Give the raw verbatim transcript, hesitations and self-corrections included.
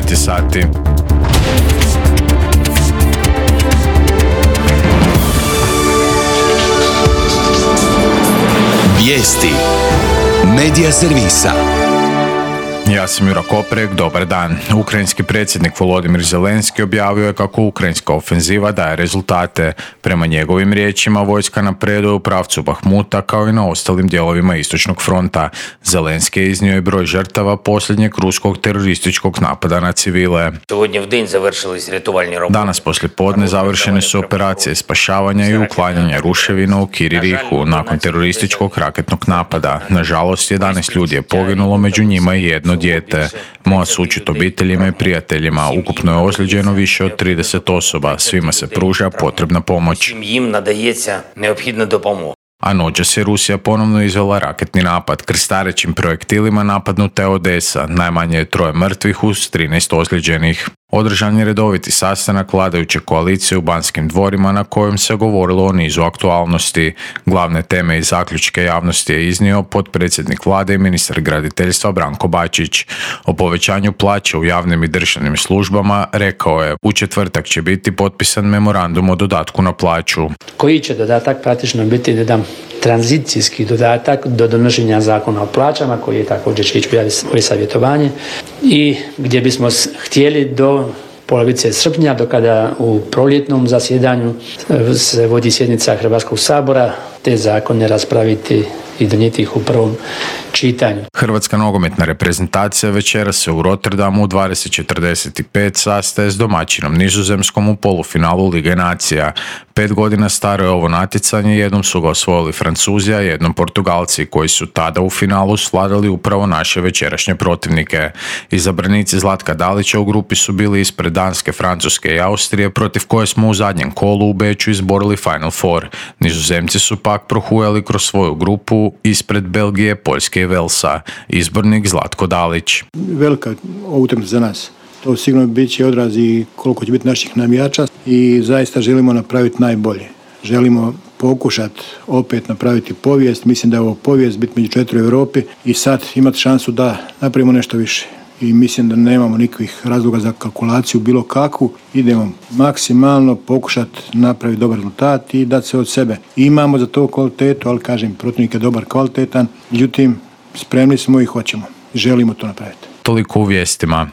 devet je sati. Vijesti Medija servisa. Ja sam Jura Koprek, dobar dan. Ukrajinski predsjednik Volodimir Zelenski objavio je kako ukrajinska ofenziva daje rezultate. Prema njegovim riječima, vojska napreduje u pravcu Bahmuta kao i na ostalim dijelovima istočnog fronta. Zelenski je iznio i broj žrtava posljednjeg ruskog terorističkog napada na civile. Danas poslije podne završene su operacije spašavanja i uklanjanja ruševina u Kiririhu nakon terorističkog raketnog napada. Nažalost, jedanaest ljudi je poginulo, među njima i jedno dijete. Moja sućut obiteljima i prijateljima. Ukupno je ozlijeđeno više od trideset osoba. Svima se pruža potrebna pomoć. A noćas je Rusija ponovno izvela raketni napad. Krstarećim projektilima napadnuta je Odesa. Najmanje je troje mrtvih uz trinaest ozlijeđenih. Održan je redoviti sastanak vladajuće koalicije u Banskim dvorima na kojem se govorilo o nizu aktualnosti. Glavne teme i zaključke javnosti je iznio potpredsjednik vlade i ministar graditeljstva Branko Bačić. O povećanju plaće u javnim i državnim službama rekao je: u četvrtak će biti potpisan memorandum o dodatku na plaću. Koji će dodatak praktično biti jedan tranzicijski dodatak do donošenja zakona o plaćama koji je također će ići u savjetovanje i gdje bismo htjeli do polovice srpnja, do kada u proljetnom zasjedanju se vodi sjednica Hrvatskog sabora, te zakone raspraviti i donijeti ih u prvom čitanju. Hrvatska nogometna reprezentacija večeras se u Rotterdamu u dvadeset četrdeset pet sastaje s domaćinom Nizozemskom u polufinalu Lige nacija. Pet godina staro je ovo natjecanje, jednom su ga osvojili Francuzi, a jednom Portugalci, koji su tada u finalu svladali upravo naše večerašnje protivnike. Izabranici Zlatka Dalića u grupi su bili ispred Danske, Francuske i Austrije, protiv koje smo u zadnjem kolu u Beču izborili Final Four. Nizozemci su pak prohujali kroz svoju grupu ispred Belgije, Poljske i Velsa. Izbornik Zlatko Dalić. Velika utakmica za nas. To sigurno bit će odraz i koliko će biti naših navijača i zaista želimo napraviti najbolje. Želimo pokušati opet napraviti povijest. Mislim da je ovo povijest biti među četiri u Europi i sad imati šansu da napravimo nešto više. I mislim da nemamo nikakvih razloga za kalkulaciju bilo kakvu. Idemo maksimalno pokušati napraviti dobar rezultat i dati se od sebe. Imamo za to kvalitetu, ali kažem, protivnik je dobar, kvalitetan. Međutim, spremni smo i hoćemo. Želimo to napraviti. Toliko u vijestima.